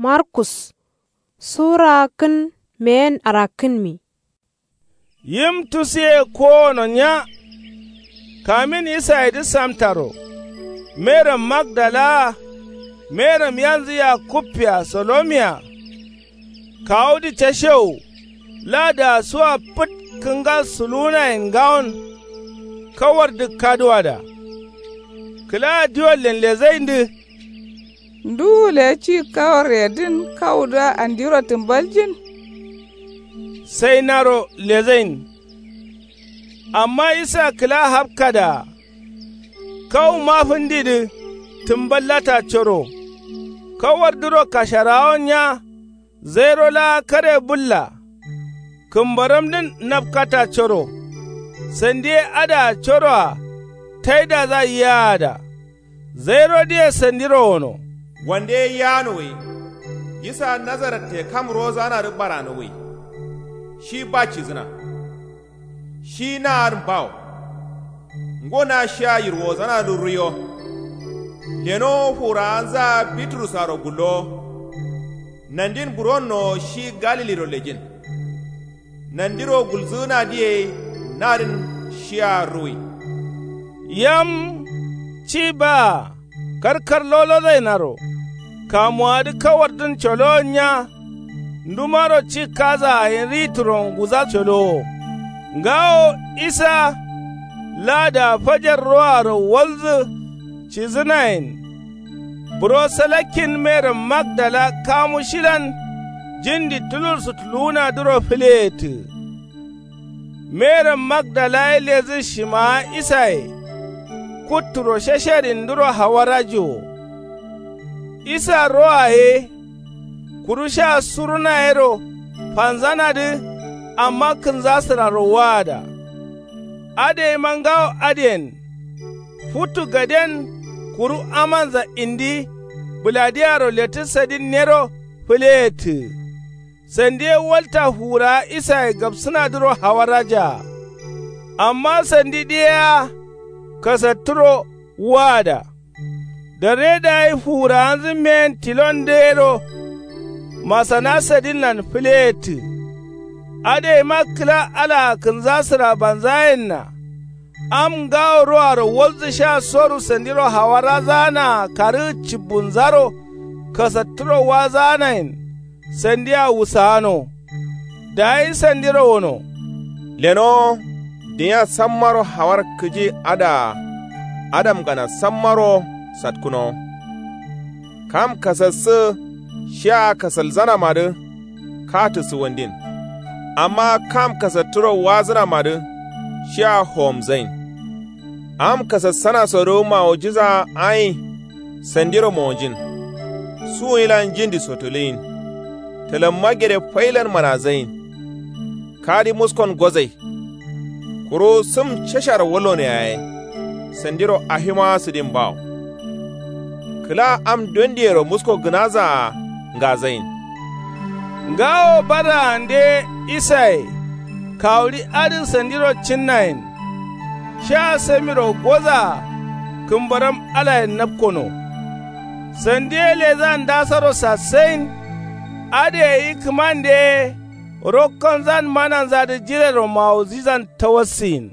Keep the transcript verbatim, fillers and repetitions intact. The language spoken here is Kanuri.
Markus sura kǝn meyen arakkǝnmi. Yim tusuye kowono nya. Kamin isayedǝ samtaro, meram magdalaa, meram yanzǝ yakubbea solomiya, kawudǝ cashewu, ladaa suwa fǝt kǝnga suluwunayen ngawon. Kawardu kaduwada. Kǝlaa diwallen lezaindǝ. Nduwu le ci kawar yedǝn kawudǝa andiro tǝmbaljin? Sainaro lezain. Amma isa kǝla hapkadaa. Kawu mafǝndidǝ tǝmballata coro. Kawardǝro kasharaawon nya. Zairo laa kare bǝlla. Kǝmbaramdǝn napkata coro. Sandi ye adǝa coroa taidaza yiyaada. Zairodǝye sandiro wono. Wande ye yaano gai. Isa nazaratte kam rozanadǝ barano gai. Shi ba cizǝna. Shi na adǝn bawo. Ngo na shia yirwozanadǝ ruiyo. Lenowo furawanzaa bitrusaro gullowo. Nandin buronnowo shi galiliro lejin. Nandiro gulzǝgǝnadǝ ye nadǝn shia ruwi. Yam ci baa. Karkar lolozainaro. Kamuwadǝ kawardǝn colowon nya. Ndumaro ci kazaa yen ri turonguza colowo. Ngawo isa. Lada fajar roaro walzǝ. Cizǝnayen. Buro salakkin meram magdala kamu shilan. Jindi tulursu tuluwunadǝro fǝleyettǝ. Meram magdala ye lezǝ shimaa isaye. Kutturo shasharindǝro hawarajiwo. Isa roa ye. Kuru sha suruna yero fanzanadǝ. Amma kǝnzasǝraro waada. Adǝ yeima ngawo adǝyen. Futu gaden. Kuru amanza indi. Bǝladiyaro lettǝ sadin nero. Fǝleyettǝ. Sandi ye walta fuwurawa isaye gapsǝnadǝro hawarajaa. Amma sandidǝ yea. Kasattǝro waada. Darre dayi fuwurawanzǝ meyen tilondǝ yero. Masana sadinlan fǝleyettǝ. Adǝ yeima kǝla alaa kǝnzasǝra banzayenna. Am ngawo roaro walzǝ sha soru sandiro hawarazaanaa karǝgǝ cibbunzaro. Kasattǝro wazaanayen. Sandia wusagano. Dayi sandiro wono. Lenowo. Dunia sammaro hawar kǝji adǝa. Adamgana sammaro satkǝnowo. Kam kasassǝ shia kasalzanamadǝ. Katǝ suwandin. Amma kam kasattǝro wazǝnamadǝ. Shia howomzain. Am kasassanasodo mawujiza ayin. Sandiro mowonjin. Suwuyilan njindi sotuluyin. Tǝlamma gede failan manazayin. Kadi muskon gozai. Kuru sǝm casharo wallono yaye. Sandiro afimaa sǝdin bawo. Kǝla am dondiyero musko gǝnazaa ngazayin. Ngawo badaande isaye. Kawuɍi adǝ sandiro cinnayen. Sha samiro gozaa. Kǝmbaram alayen napkono. Sandi ye lezan ndasoro sassayin. Adǝ yeyi kǝmande ye. Rokkonzan mananzadǝ jirero mawuzizan tawassiyin.